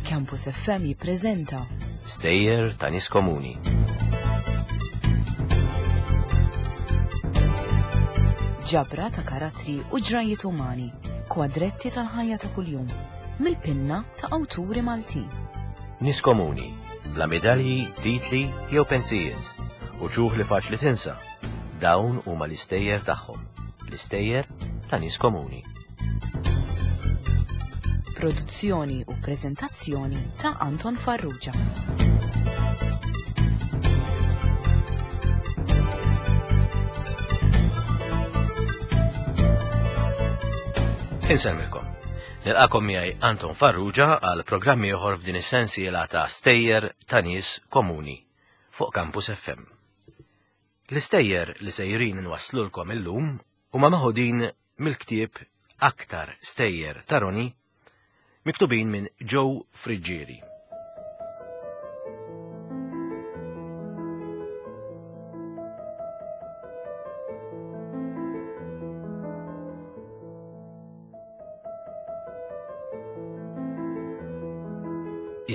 Campus FM jippreżenta Stejjer ta' nies komuni. Ġabra ta' karattri u ġrajiet umani, kwadretti tal-ħajja ta' kuljum, mill-pinna ta' awturi Maltin. Nies komuni, bla medalji, titli jew pensijiet, u ċuħ li faċli tinsa. Dawn huma l-istejjer tagħhom, l-istejjer ta' nies komuni. Produzzjoni u preżentazzjoni ta' Anton Farrugia. Insellmilkom. Nilqakom miegħi Anton Farrugia għal programm ieħor f'din is-sensiela ta' stejjer ta' nies komuni fuq Campus FM. L-istejjer li sejrin nwasslulkom illum huma meħudin mill-ktieb Aktar Stejjer ta' Roni miktubin minn Joe Friggieri.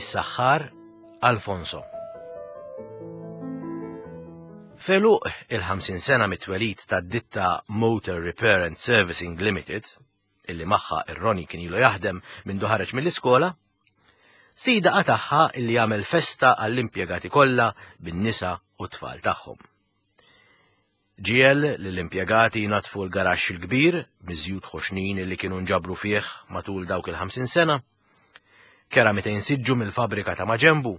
Is-saħħar Alfonso. Feluq il-50 sena mit-twelid tad-ditta Motor Repair and Servicing Limited, illi magħha ir-Roni kien ilu jaħdem minn ħareġ mill-iskola, sida qatagħha illi jagħmel festa għall-impjegati kollha bin-nisa u t-tfal tagħhom. Ġiegħel lill-impjegati jnaddfu l-garaxx il-kbir miż-żjut ħoxnin li kienu nġabru fih matul dawk il-50 sena. Kera 200 siġġu mill-fabbrika ta' maġenbu.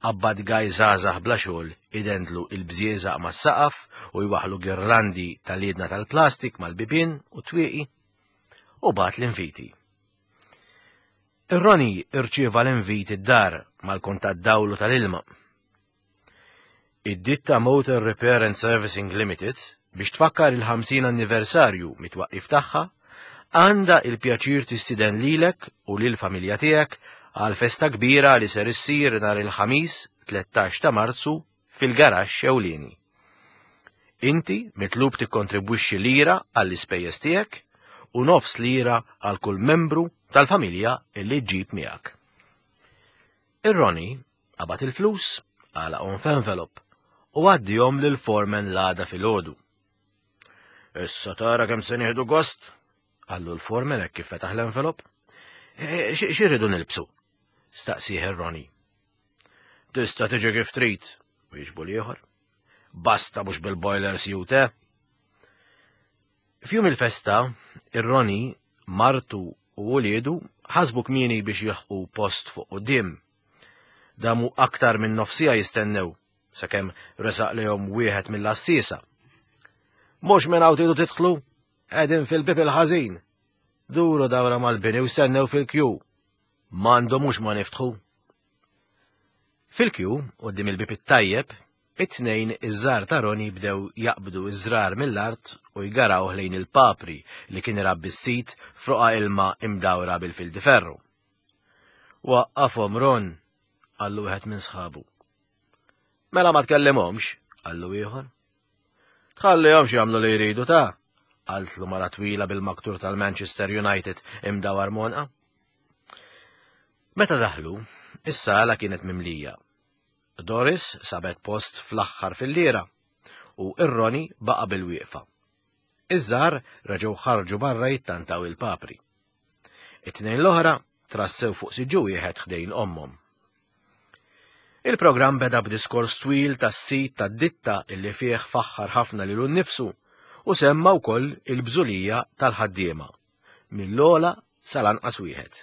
Qabbad gaj żgħażagħ bla xogħol idendlu il-bżieżaq mas-saqaf u jwaħħlu girlandi tal-liedna tal-plastik mal-bibien u twieqi. U bagħat l-inviti. Ir-Roni rċieva l-invit id-dar mal-kont tad-dawl u tal-ilma. Id-ditta Motor Repair and Servicing Limited, biex tfakkar il-50 anniversarju mit-twaqqif tagħha, għandha il-pjaċir tistiden lilek u lill-familja tiegħek għal festa kbira li ser issir nhar il-Ħamis 13 ta' Marzu fil-garaxx ewlieni. Inti mitlub tikkontribwixxi lira għall-ispejjeż tiegħek u nofs lira għal kull membru tal-familja li ġġib miegħek. Ir-Ronnie qabad il-flus, għalaqhom f'envelop u għaddihom lil foreman l-għada filgħodu. Issa tara kemm se nieħdu gost, qallu l-foreman hekk kif fetaħ l-envelop. E, e, x'irridu nilbsu? Staqsih ir-Ronnie. Tista' tiġi kif trid, wieġbu l-ieħor. Basta mhux bil-boiler suit, eh? F'jum il-festa, ir-Ronnie, martu u uliedu ħasbu kmieni biex jilħqu post fuq quddiem. Damu aktar minn nofsija jistennew, sakemm resaq lejhom wieħed mill-għassiesa. Mhux minn hawn tridu tidħlu, qegħdin fil-bieb il-ħażin. Duru dawra mal-bini u stennew fil-kju. M'għandhomux ma niftħu. Fil-kju, quddiem il-bieb it-tajjeb, it-tnejn iż-żgħar ta' Ronnie bdew jaqbdu ż-żrar mill-art u jgarawh lejn il-papri li kien irabbi s-sid f'roqgħa ilma imdawra bil-fildiferru. Waqqafhom Ron, qallu wieħed minn sħabu. Mela ma tkellimhomx, qallu ieħor. Tħallihomx jagħmlu li jridu ta' qaltlu mara twila bil-maktur tal-Manchester United imdawar monqa. Meta daħlu, is-sala kienet mimlija. Doris sabet post fl-aħħar filliera u ir-Roni baqa' bil-wieqfa. Iż-żgħar reġgħu ħarġu barra jittantaw il-papri. It-tnejn l-oħra trassew fuq siġġu wieħed ħdejn ommhom. Il-programm beda b'diskors twil tas-sid tad-ditta illi fih faħħar ħafna lilu nnifsu u semma wkoll il-bżulija tal-ħaddiema, mill-ogħla sal-anqas wieħed.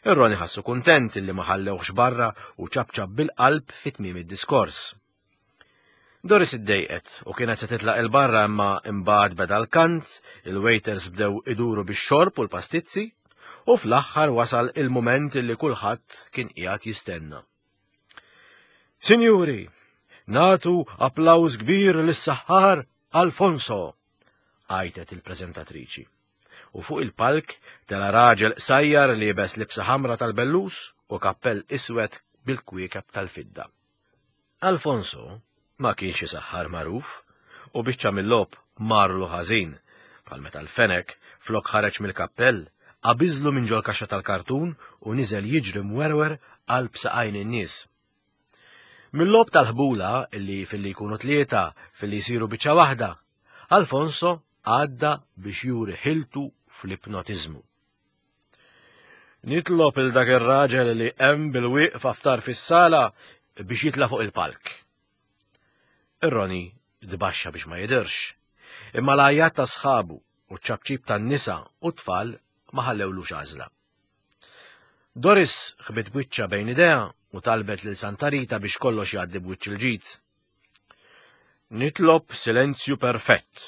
Ir-Roni ħassu kuntent illi ma ħallewhx barra u ċapċap bil-qalb fi tmiem id-diskors. Doris iddejqet u kienet se titlaq il-barra imma imbagħad beda l-kant, il-waiters bdew iduru bix-xorb u l-pastizzi, u fl-aħħar wasal il-mument illi kulħadd kien qiegħed jistenna. Sinjuri, natu applaws kbir lis-saħħar Alfonso, għajtet il-preżentatriċi. U fuq il-palk tela raġel qsajjar liebes libsa ħamra tal-bellus u kappell iswed bil-kwiekeb tal-fidda. Alfonso ma kienx isaħħar magħruf u biċċa mill-logħob marlu ħażin. Bħal meta l-fenek, flok ħareġ mill-kappell, qabiżlu minn ġol-kaxxa tal-kartun u niżel jiġri mwerwer qalb saqajn in-nies. Mil-logħob tal-ħbula illi filli jkunu tlieta filli jsiru biċċa waħda, Alfonso għadda biex juri ħiltu fl-ipnotiżmu. Nitlob il dak ir-raġel li hemm bil-wieqfa ftar fis-sala biex jitla' fuq il-palk. Ir-Roni tbaxxa biex ma jidhirx, imma l-għajjat ta' sħabu u ċ-ċapċip tan-nisa u t-tfal ma ħallewlux għażla. Doris ħbit wiċċha bejn idejha u talbet lil Santa Rita biex kollox jgħaddi b'wiċċ il-ġid. Nitlob silenzju perfett,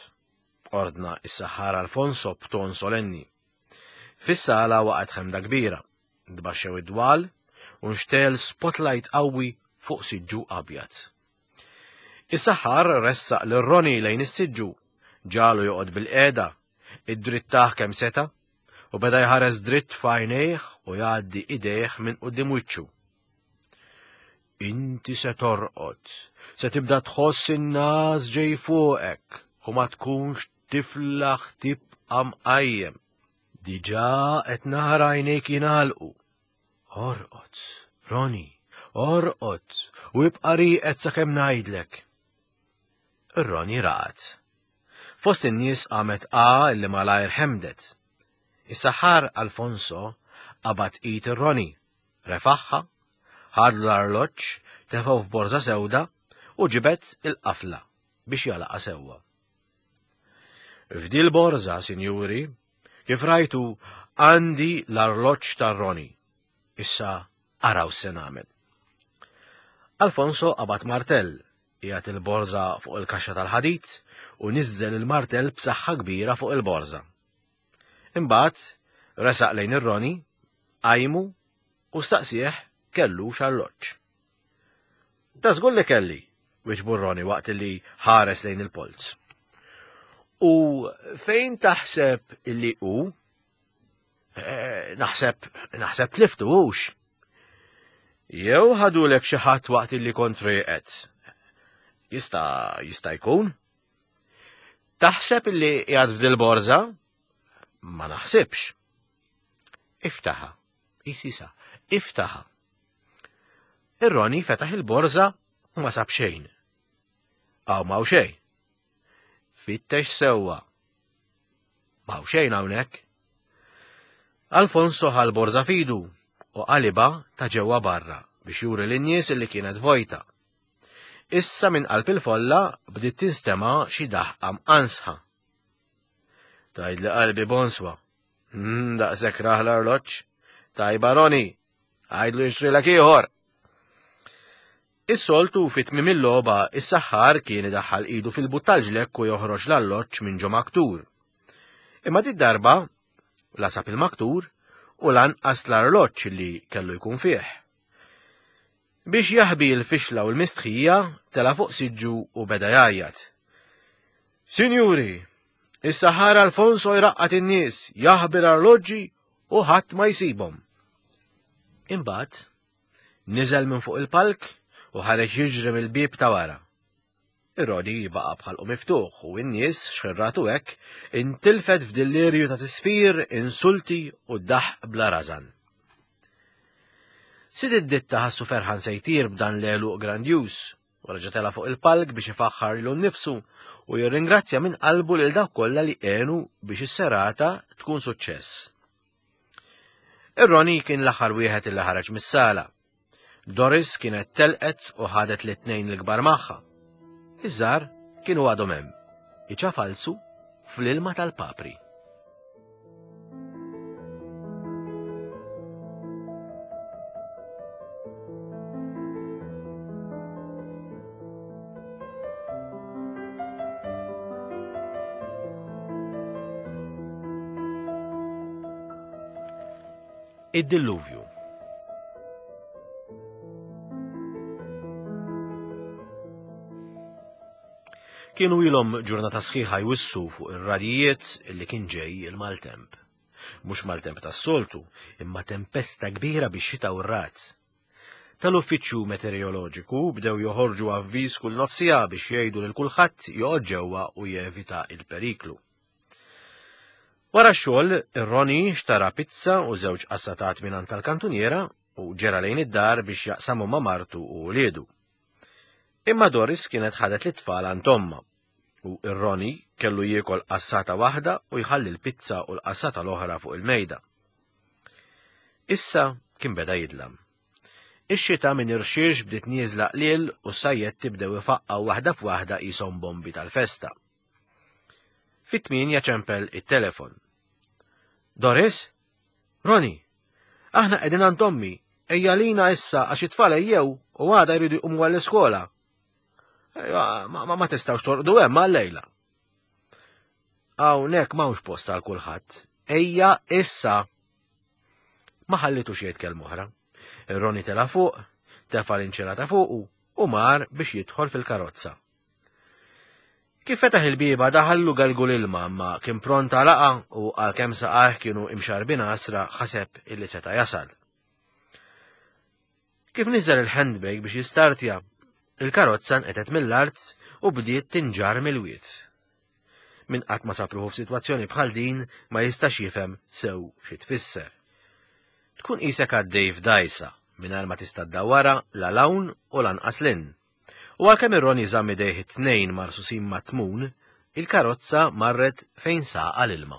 ordna is-saħħar Alfonso b'ton solenni. Fis-sala waqgħet ħemda kbira, tbaxxew id-dwal u nxtegħel spotlight qawwi fuq siġġu abjad. Is-saħħar ressaq lil Ronnie lejn is-siġġu, ġagħlu joqgħod bilqiegħda, iddrittah kemm seta' u beda jħares dritt f'għajnejh u jgħaddi idejh minn quddiem wiċċu. Inti se torqod, se tibda tħoss in-nas ġej fuqek u ma tkunx tiflaħ tibqa' mqajjem. Diġà qed nara għajnejk jingħalqu. Orqod, Roni, orqod u ibqa' rieqed sakemm ngħidlek. Ir-Roni raqad. Fost in-nies qamet A li malajr ħemdet. Is-saħħar Alfonso qabad id ir-Roni, refaħħa, ħadlu l-arloġġ, tefgħu f'borża sewda u ġibed il-qafla biex jagħlaqha sewwa. F'dil borża, sinjuri, kif rajtu, għandi l-arloġġ tar-Roni. Issa araw se nagħmel. Alfonso qabad martell, qiegħed il-borża fuq il-kaxxa tal-ħadid u niżżel il-martell b'saħħa kbira fuq il-borża. Imbagħad resaq lejn ir-Roni, qajmu u staqsieh kellux arloġġ. Ta' żgur li kelli, wieġbu Roni waqt li ħares lejn il-polz. U fejn taħseb illi hu? Eh, naħseb, naħseb tliftu hux. Jew ħadulek xi ħadd waqt illi kont rieqed. Jista' jista' jkun? Taħseb illi qiegħed f'dil borża? Ma naħsibx. Iftaħa. Isisa, iftaħa. Ir-Roni fetaħ il-borża u ma sab xejn. Hawn m'hawn xejn. Fittex sewwa. M'hawn xejn hawnhekk. Alfonso ħa l-borża f'idu u qalibha ta' ġewwa barra biex juri lin-nies li kienet vojta. Issa minn qalb il-folla bdiet tinstema' xi daħqa mqansħa. Tgħidli qalbi bonswa. Hmm, daqshekk raħ l-arloġġ. Tajba Roni, għajdlu jixtrilek ieħor. Is-soltu fi tmiem il-logħba is-saħħar kien idaħħal idu fil-but tal-ġlekk u joħroġ l-alloġġ minn ġo maktur. Imma dit darba la sab il-maktur u lanqas l-arloġġ li kellu jkun fih. Biex jaħbi l-fixla u l-mistħija, tela' fuq siġġu u beda jgħajjat. Sinjuri, is-saħħar Alfonso jraqqad in-nies, jaħbi l-arloġġi u ħadd ma jsibhom. Imbagħad Niżel minn fuq il-palk u ħareġ jiġri mill-bieb ta' wara. Ir-Rodi baqa' b'ħalqu miftuħ u n-nies, xħirratu hekk, intilfet f'dillirju ta' tisfir, insulti u daħq bla rażan. Sid id-ditta ħassu ferħan se jtir b'dan l-għeluq grandjuż u reġa' tela' fuq il-palk biex ifaħħar lilu nnifsu u jirringrazzja minn qalbu lil dawk kollha li għenu biex is-serata tkun suċċess. Ir-Ronnie kien l-aħħar wieħed illi ħareġ mis-sala. Doris kienet telqet u ħadet lit-tnejn l-kbar magħha. Iż-żgħar kienu għadhom hemm, iċafalsu fl-ilma tal-papri. Id-dilluvju. Kienu ilhom ġurnata sħiħa jwissu fuq ir-radijiet li kien ġej il-maltemp. Mhux maltemp tas-soltu, imma tempesta kbira biex xita u r-razz. Tal-Uffiċċju Metereoloġiku bdew joħorġu avviż kull nofs siegħa biex jgħidu lil kulħadd joqgħod ġewwa u jevita l-periklu. Wara x-xogħol, Ronnie xtara pizza u żewġ qassatat mingħand tal-kantuniera u ġera lejn id-dar biex jaqsamhom ma' martu u wliedu. Imma Doris kienet ħadet lit-tfal għand ommha u ir-Ronnie kellu jiekol qassata waħda u jħalli l-pizza u l-qassata l-oħra fuq il-mejda. Issa kien beda jidlam. Ix-xita minn irxiex bdiet nieżla qliel u s-sajjetti bdew ifaqqgħu waħda f'waħda qishom bombi tal-festa. Fit-tmienja ċempel it-telefon. Doris? Roni, aħna qegħdin għand ommi, ejja lina issa għax it-tfal ejjew u għada jridu jqumu għall-iskola. Ma, ma, ma tistgħux torqdu hemm għal-lejla. Hawnhekk m'hawnx post għal kulħadd. Ejja issa. Ma ħallitux jgħid kelma oħra. Roni tela fuq, tefa' l-inċirata fuqu u mar biex jidħol fil-karozza. Kif fetaħ il-bieba daħallu galgu l-ilma imma kien pront għalaqha u għalkemm saqajh kienu imxarrbin għasra ħaseb illi seta' jasal. Kif niżel il-handbrake biex jistartja, il-karozza nqetet mill-art u bdiet tinġarr mill-wied. Min qatt ma sab ruħu f'sitwazzjoni bħal din ma jistax jifhem sew xi tfisser. Tkun qisek għaddej f'dgħajsa mingħajr ma tista' ddawwarha la 'l hawn u lanqas 'l hinn. U għalkemm ir-Ronnie żamm idejh it-tnejn marsusin mat-tmun, il-karozza marret fejn saqa l-ilma.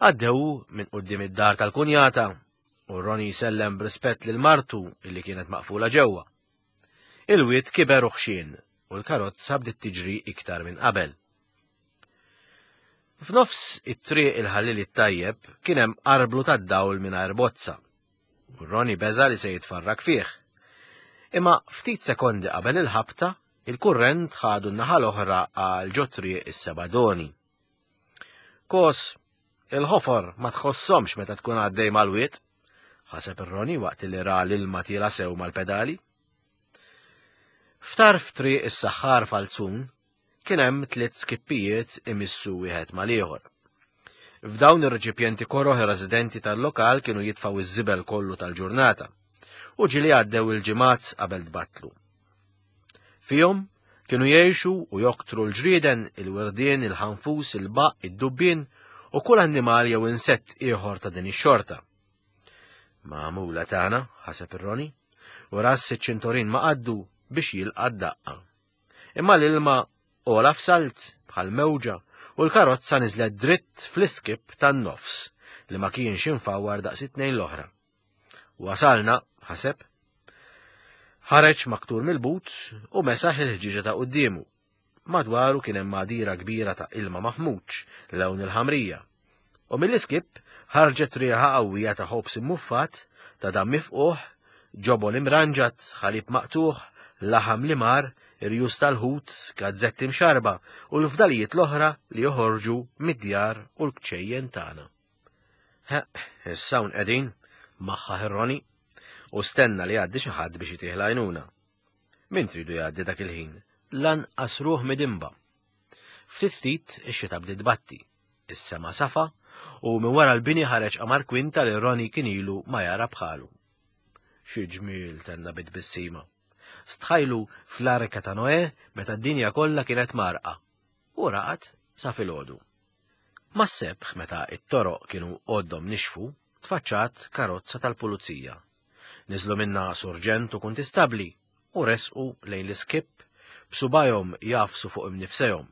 Għaddew minn quddiem id-dar tal-kunjata u Ronnie jsellem b'rispett lil martu illi kienet maqfula ġewwa. Il-wied kiber u ħxien u l-karozza bdiet tiġri iktar minn qabel. F'nofs it-triq il-ħallili t-tajjeb kien hemm arblu tad-dawl mingħajr bozza. U Ronnie beża' li se jitfarrak fih. Imma ftit sekondi qabel il-ħabta, il-kurrent ħadu n-naħa l-oħra għal ġo triq is-Sebadoni. Kos, il-ħofor ma tħossomx meta tkun għaddej mal-wied, ħaseb ir-Ronnie waqt li ra l-ilma tiela sew mal-pedali. F'tarf triq is-saħħar Falzun, kien hemm tliet skippijiet imissu wieħed mal-ieħor. F'dawn ir-reċipjenti koroh ir-residenti tal-lokal kienu jitfgħu iż-żibel kollu tal-ġurnata u ġieli għaddew il-ġimgħat qabel tbattlu. Fihom kienu jgħixu u joktru l-ġrieden, il-wirdien, il-ħanfus, il-baqq, id-dubbien u kull annimal jew insett ieħor ta' din ix-xorta. Magħmula tagħna, ħaseb ir-Roni, u ras iċ-ċintorin ma qaddu biex jilqa' d-daqqa. Imma l-ilma għola f'salt bħal mewġa u l-karozza niżlet dritt fl-iskip tan-nofs li ma kienx imfawwar daqs it-tnejn l-oħra. Wasalna, ħaseb. Ħareġ maktur mill-but u mesaħ il-ħġieġa ta' quddiemu. Madwaru kien hemm għadira kbira ta' ilma maħmuġ lewn il-ħamrija. U mill-iskip ħarġet riħa qawwija ta' ħobż immuffat, ta' damm mifqugħ, ġobon imranġat, ħalib maqtugħ, laħam li mar, irjus tal-ħut, gazzetti mxarrba u l-fdalijiet l-oħra li joħorġu mid-djar u l-kċejjen tagħna. Ħeqq, issa hawn qegħdin, maħħaħ ir-Roni, u stenna li jgħaddi xi ħadd biex itih l-għajnuna. Min tridu jgħaddi dak il-ħin? Lanqas ruħ midinba. Ftit ftit ix-xita bdiet tbatti. Is-sema safa u minn wara l-bini ħareġ qamar kwinta li Ronnie kien ilu ma jara bħalu. Xi ġmiel tenna bi tbissima. Stħajlu fl-arka ta' Noè meta d-dinja kollha kienet mgħarrqa. U raqad sa filgħodu. Mas-sebħ meta t-toroq kienu għoddhom nixfu, tfaċċat karozza tal-pulizija. Niżlu minnha surġent u kuntistabbli u resqu lejn l-iskipp b'subgħajhom jagħfsu fuq imnifsejhom.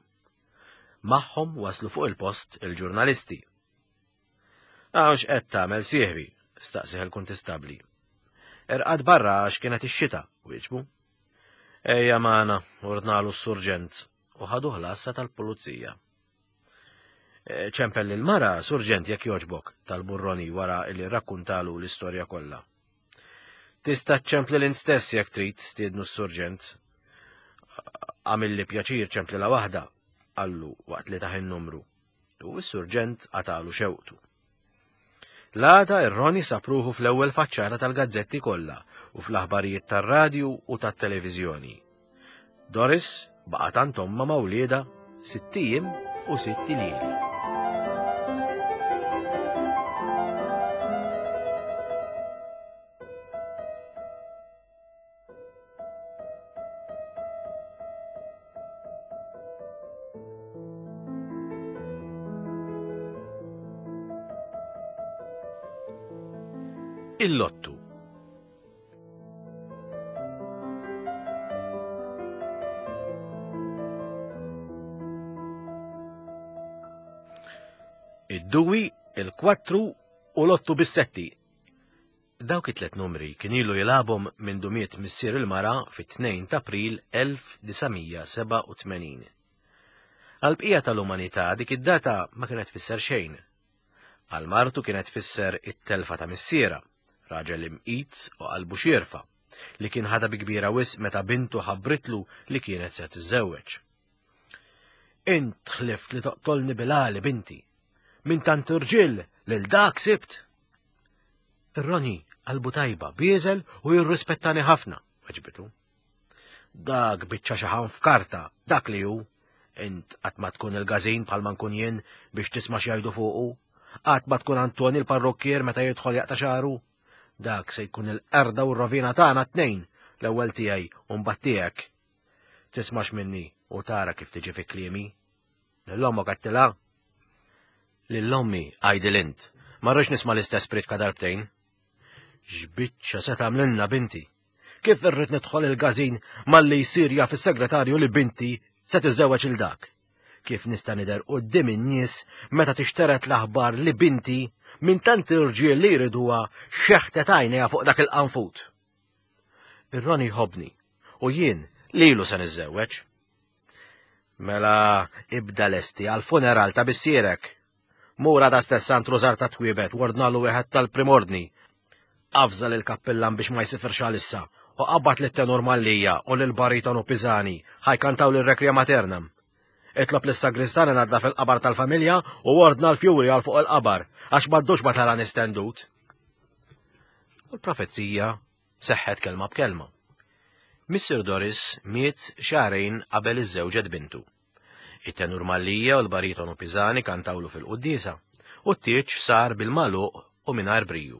Magħhom waslu fuq il-post il-ġurnalisti. Hawn x'qed tagħmel sieħbi? staqsih il-kuntistabbli. Irqad barra għax kienet ix-xita, wieġbu. Ejja magħna, ordnalu s-surġent u ħaduh l-għassa tal-pulizija. E, ċempel lil mara, surġent jekk jogħġbok, tal-burroni wara li rrakkuntalu l-istorja kollha. Tista' ċċempli int stess jekk trid, stiednu s-surġent. Għamilli pjaċir ċemplilha waħda, qallu waqt li tah in-numru. U s-surġent qatalu xewqtu. L-għada ir-Roni sab ruħu fl-ewwel faċċata tal-gazzetti kollha u fl-aħbarijiet tar-radju u tat-televiżjoni. Doris baqgħet għand ommha ma' wliedha sitt ijiem u sitt iljieli. Il-lottu. Id-duwi, il-kwattru u l-ottu bis-setti. Dawk it-tlet numri kien ilu jilgħabhom mindu miet missier il-mara fit-2 t'April 1987. Għall-bqija tal-umanità dik id-data ma kienet tfisser xejn. Għal martu kienet tfisser it-telfa ta' missierha, raġel imqit u qalbu xierfa, li kien ħadha bi kbira wisq meta bintu ħabbritlu li kienet se tiżżewweġ. Int ħlift li toqtolni bil-għali binti. Minn tant irġiel lil dak sibt. Ir-Roni qalbu tajba, bieżel u jirrispettani ħafna, weġbitu. Dak biċċa xaħan f'karta, dak li hu. Int qatt ma tkun il-gażin bħalma nkun jien biex tisma' x'jgħidu fuqu. Qatt ma tkun Antoni l-parrukkier meta jidħol jaqta' xagħru. Dak se jkun il-qerda u r-rovina tagħna t-tnejn, l-ewwel tiegħi u mbagħad tiegħek. Tismax minni u tara kif tiġi fi kliemi. Lil ommok għedtilha? Lil ommi għidil int. Ma rridx nisma' l-istess priedka darbtejn. X'biċċa se tagħmlilna binti? Kif irrid nidħol il-gażin malli jsir jaf is-segretarju li binti se tiżżewweġ il dak? Kif nista' nidher quddiem in-nies meta tixteret l-aħbar li binti minn tant irġiel li jriduha xeħtet għajnejha fuq dak il-qanfut? Ir-Roni jħobbni u jien lilu se niżżewweġ. Mela ibda lesti għall-funeral ta' missierek. Mur għada stess għand Rużar ta' Twiebet u ordnalu wieħed tal-primordni. Avża lill-kappillan biex ma jsifirx għalissa u qabbad lit-tenur Mallia u lill-baritonu Pisani ħa jkantaw lir-Requiem Aeternam. Itlob lis-sagristan inaddaf il-qabar tal-familja u ordna l-fjuri għal fuq il-qabar għax m'għaddux ma tarani stendut. U l-profezija seħħet kelma b'kelma. Missier Doris miet xahrejn qabel iżżewġet bintu. It-tenur Mallia u l-baritonu Pisani kantawlu fil-quddiesa u t-tieġ sar bil-magħluq u mingħajr briju.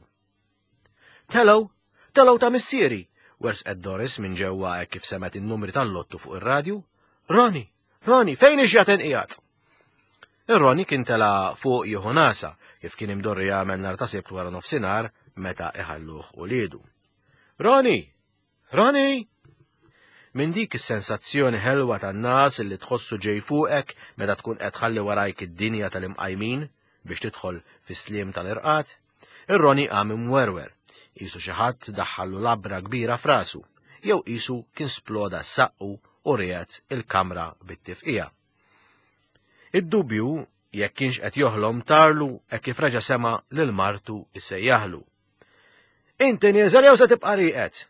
Telgħu! Telgħu ta' missieri! wersqet Doris minn ġewwa hekk kif semgħet in-numri tal-lottu fuq ir-radju. Roni! Roni, fejn ix-xjaten qiegħed? Ir-Roni kien tela' fuq jieħu nasa, kif kien imdorri jagħmel nhar ta' Sibt wara nofsinhar meta iħalluh uliedu. Roni! Roni! Minn dik is-sensazzjoni ħelwa tan-nas li tħossu ġej fuqek meta tkun qed tħalli warajk id-dinja tal-imqajmin biex tidħol fis-sliem tal-irqad, ir-Roni qam imwerwer, qisu xi ħadd daħħallu labra kbira f'rasu, jew qisu kien sploda saqqu u riegħed il-kamra bit-tifqigħa. Id-dubju jekk kienx qed joħlom tarlu hekk kif reġa' sema' lil martu issejjaħlu. Inti nieżel jew se tibqa' rieqed?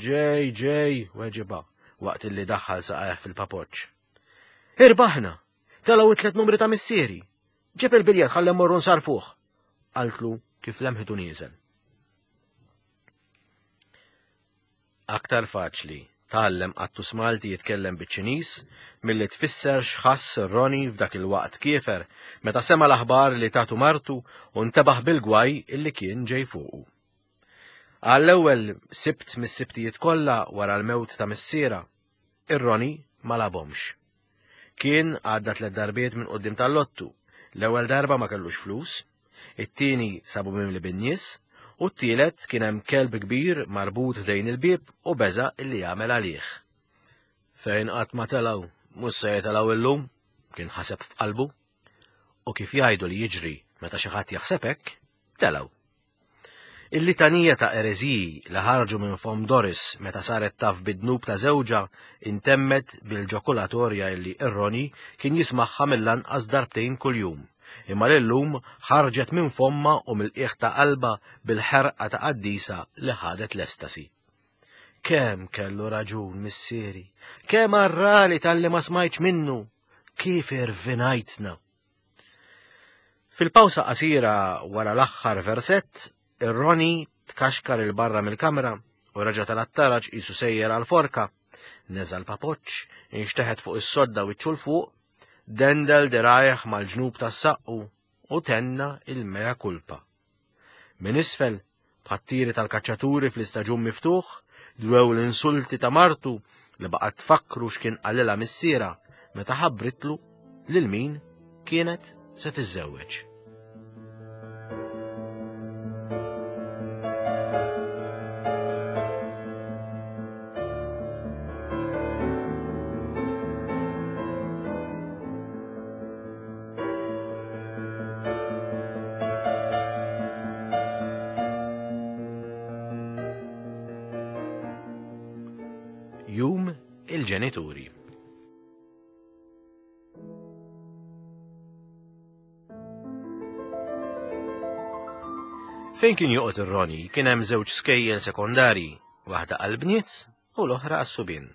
Ġej, ġej, weġibha waqt illi daħħal saqajh fil-papoċċ. Irbaħna! Telgħu it-tlet numri ta' missieri. Ġib il-biljett ħalli mmorru nsarfuh. Qaltlu kif lemħitu nieżel. Aktar faċli tgħallem qattus Malti jitkellem biċ-Ċiniż milli tfisser x'ħass Ronnie f'dak il-waqt kiefer meta sema' l-aħbar li tatu martu u ntebaħ bil-gwaj illi kien ġej fuqu. Għall-ewwel Sibt mis-Sibtijiet kollha wara l-mewt ta' missierha, ir-Ronnie ma lagħabhomx. Kien għadda tlet darbiet minn quddiem tal-lottu. L-ewwel darba ma kellux flus, it-tieni sabu mimli bin-nies, u t-tielet kien hemm kelb kbir marbut ħdejn il-bieb u beża' illi jagħmel għalih. Fejn qatt ma telgħu, mhux se jitelgħu illum, kien ħaseb f'qalbu. U kif jgħidu li jiġri meta xi ħadd jaħseb hekk, telgħu. Il-litanija ta' ereżiji li ħarġu minn fomm Doris meta saret taf bid-dnub ta' żewġha intemmet bil-ġokulatorja illi ir-Ronnie kien jismagħha mill-anqas darbtejn kuljum, imma li llum ħarġet minn fommha u mill-qiegħ ta' qalbha bil-ħerqa ta' qaddisa li ħadet l-estasi. Kemm kellu raġun missieri! Kemm għarrali talli ma smajtx minnu! Kif irvinajtna! Fil-pawsa qasira wara l-aħħar versett, ir-Ronnie tkaxkar 'il barra mill-kamra u reġa' tela' t-taraġ qisu sejjer għall-forka. Neża' l-papoċċ, inxteħet fuq is-sodda wiċċu 'l fuq, dendel dirgħajh mal-ġnub tas-saqqu u tenna il-mea culpa. Minn isfel, bħat-tiri tal-kaċċaturi fl-istaġun miftuħ, dwew l-insulti ta' martu li baqgħet tfakkru x'kien qalilha missierha meta ħabbritlu lil min kienet se tiżżewweġ. il-ġenituri. Fejn kien joqgħod ir-Roni kien hemm żewġ skejjel sekondarji, waħda għall-bniet u l-oħra għas-subien.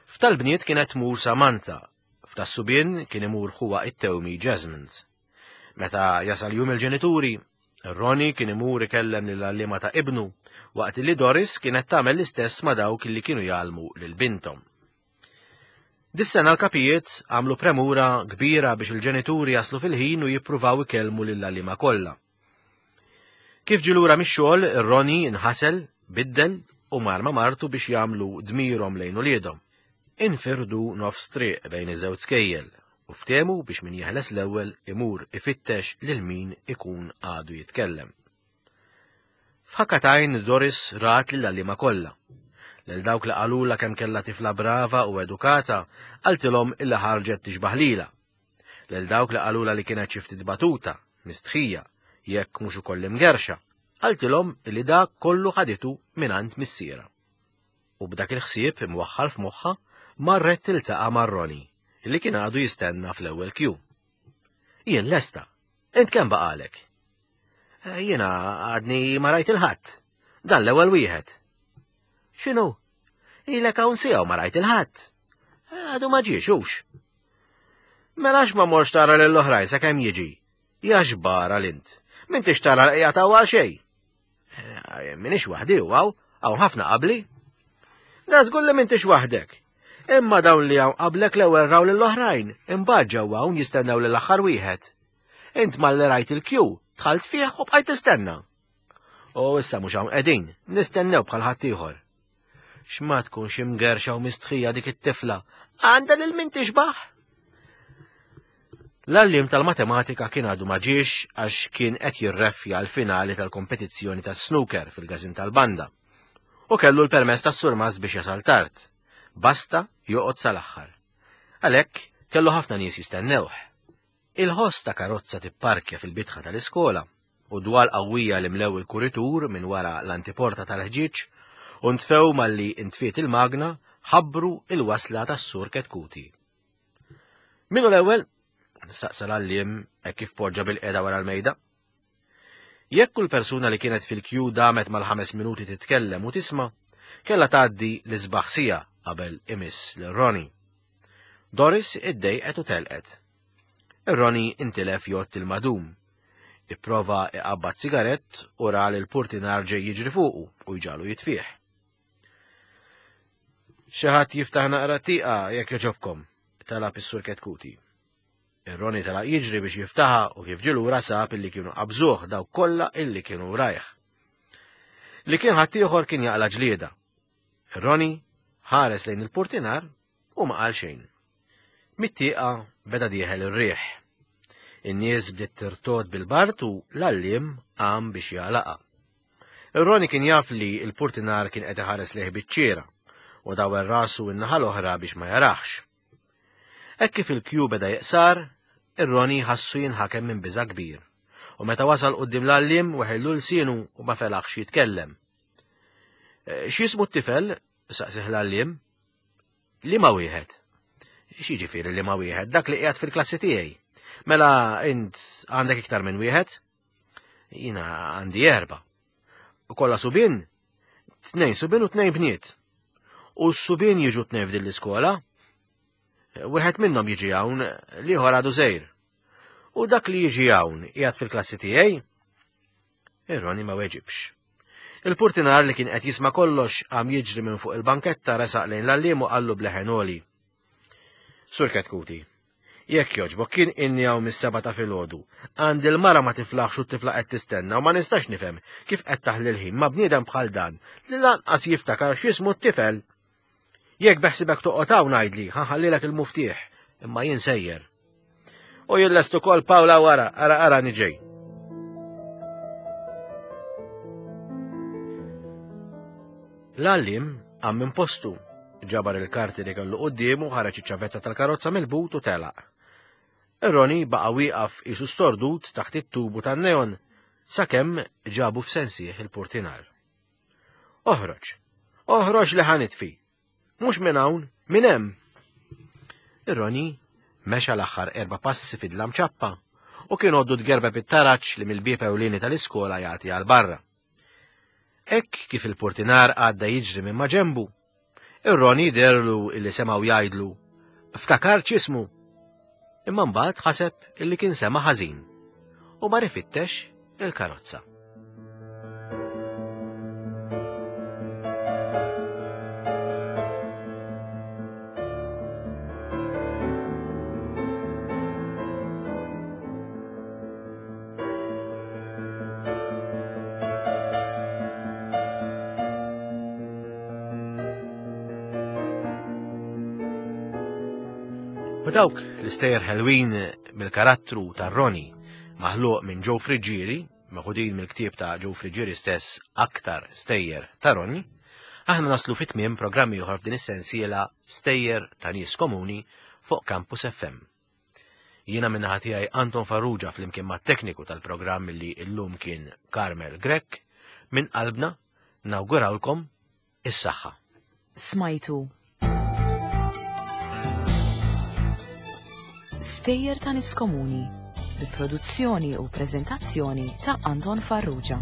F'tal-bniet kienet tmur Samantha, f'tas-subien kien imur ħuha it-tewmi Jasmine. Meta jasal jum il-ġenituri, Ronnie kien imur ikellem lill-għalliema ta' ibnu, waqt li Doris kienet tagħmel l-istess ma' dawk li kienu jgħallmu lil binthom. Dis-sena l-kapijiet għamlu premura kbira biex il-ġenituri jaslu fil-ħin u jippruvaw ikellmu lill-għalliema kollha. Kif ġie lura mix-xogħol, Ronnie inħasel, biddel u mar ma' martu biex jagħmlu dmirhom lejn uliedhom. Infirdu nofs triq bejn iż-żewġ skejjel u ftehmu biex min jeħles l-ewwel imur ifittex lil min ikun għadu jitkellem. F'ħakka t'għajn Doris rat lill-għalliema kollha. Lil dawk li qalulha kemm kellha tifla brava u edukata, qaltilhom illi ħarġet tixbah lilha. Lil dawk li qalulha li kienet xi ftit batuta, mistħija, jekk mhux ukoll imgerrxa, qaltilhom illi dak kollu ħaditu mingħand missierha. U b'dak il-ħsieb imwaħħal f'moħħha, marret tiltaqa' ma' Ronnie, illi kien għadu jistenna fl-ewwel kju. Jien lesta. Int kemm baqalek? Eh, jiena għadni ma rajt il-ħadd. Dan l-ewwel wieħed. X'inhu? Ilek hawn siegħu ma rajt il-ħadd. Eh, għadu ma ġiex hux. Mela ma morx tara lill oħrajn sakemm jiġi. Ja xbara l-int. M'intix tara l-qija ta' għal xejn. Eh, minix waħdi u għaw, għaw ħafna qabli. Da żgur li m'intix waħdek. Imma dawn li hawn qablek l-ewwel raw lill-oħrajn, imbagħad ġew hawn jistennew lill-aħħar wieħed. Int malli rajt il-kju, dħalt fih u bqajt tistenna. U issa mhux hawn qegħdin, nistennew bħal ħaddieħor. X'ma tkunx imgerxa u mistħija dik it-tifla, għandha lil min tixbaħ. L-għalliem tal-matematika kien għadu ma ġiex għax kien qed jirreffja l-finali tal-kompetizzjoni tas-snooker fil-każin tal-banda. U kellu l-permess tas-surmast biex jasal tard. Basta joqgħod sal-aħħar. Għalhekk kellu ħafna nies jistennewh. Il-ħoss ta' karozza tipparkja fil-bitħa tal-iskola u dwal qawwija li mlew il-kuritur minn wara l-antiporta tal-ħġieġ u ntfew malli ntfiet il-magna ħabbru il-wasla tas-Sur Ketkuti. Min hu l-ewwel? Saqsa l-għalliem hekk kif poġġa bil-qiegħda wara l-mejda. Jekk kull persuna li kienet fil-kju damet mal-ħames minuti titkellem u tisma', kellha tgħaddi l-isbaħ siegħa qabel imiss lil Ronnie. Doris iddejqet u telqet. Ronnie intilef jgħodd il-madum. Ipprova iqabbad sigarett u ra li l-purtinar ġej jiġri fuqu u jġagħlu jitfih. Xi ħadd jiftaħ naqra tieqa jekk jogħġobkom, talab is-Sur Ketkuti. Ir-Roni telaq jiġri biex jiftaħa u kif ġie lura sab illi kienu qabżuh dawk kollha illi kienu rajh. Li kien ħaddieħor kien jaqla ġlieda. Ir-Roni ħares lejn il-purtinar u ma qal xejn. Mit-tieqa beda dieħel ir-riħ. In-nies bdiet tirtod bil-bard u l-għalliem qam biex jagħlaqha. Ir-Roni kien jaf li l-purtinar kien qed iħares lejh biċ-ċiera u dawwer rasu n-naħa l-oħra biex ma jaraħx. Hekk kif il-kju beda jiqsar, ir-Roni ħassu jinħakem minn biża' kbir. U meta wasal quddiem l-għalliem weħillu lsienu u ma felaħx jitkellem. Eh, x'jismu t-tifel? saqsih l-għalliem. Liema wieħed? X'jiġifieri liema wieħed? Dak li qiegħed fil-klassi tiegħi. Mela int għandek iktar minn wieħed? Jiena għandi erba. U kollha subien? Tnejn subien u tnejn bniet. U s-subien jiġu tnejn f'din l-iskola? Wieħed minnhom jiġi hawn, l-ieħor għadu żejr. U dak li jiġi hawn qiegħed fil-klassi tiegħi? Ir-Roni ma weġibx. Il-purtinar li kien qed jisma' kollox qam jiġri minn fuq il-banketta resaq lejn l-għalliem u qallu b'leħen għoli. Sur Ketkuti, jekk jogħġbok kien inni hawn mis-seba' ta' filgħodu. Għandi l-mara ma tiflaħx u t-tifla qed tistenna u ma nistax nifhem kif qed taħli l-ħin ma' bniedem bħal dan li lanqas jiftakar x'jismu t-tifel. Jekk beħsibek toqgħod hawn għidli, ħa nħallilek il-muftieħ, imma jien sejjer. U jien lest ukoll Pawla wara, ara ara niġej. L-għallim qam minn postu, ġabar il-karti li kellu quddiemu, ħareġ iċ-ċavetta tal-karozza mill-but u telaq. Roni baqa' wieqaf qisu stordut taħt it-tubu tan-neon sakemm ġabu f'sensih il-purtinar. Oħroġ! Oħroġ li ħa nitfi! Mhux minn hawn, minn hemm. Ir-Roni mexa l-aħħar erba' passi fid-dlam ċappa u kien għoddu tgerbeb it-taraġ li mill-bieb ewlieni tal-iskola jagħti għal barra. Hekk kif il-purtinar għadda jiġri minn maġenbu, ir-Roni derlu illi semgħu jgħidlu ftakar x'ismu. Imma mbagħad ħaseb illi kien sema' ħażin u mar ifittex il-karozza. U dawk l-istejjer ħelwin mill-karattru ta' Ronnie maħluq minn Joe Friggieri, meħudin mill-ktieb ta' Joe Friggieri stess Aktar Stejjer ta' Ronnie, aħna naslu fi tmiem programm ieħor f'din is-sensiela Stejjer ta' Nies Komuni fuq Campus FM. Jiena min-naħa tiegħi Anton Farrugia flimkien mat-tekniku tal-programm li llum kien Carmel Grech, minn qalbna nawgurawlkom is-saħħa. Smajtu Stejjer ta' Nies Komuni bi produzzjoni u preżentazzjoni ta' Anton Farrugia.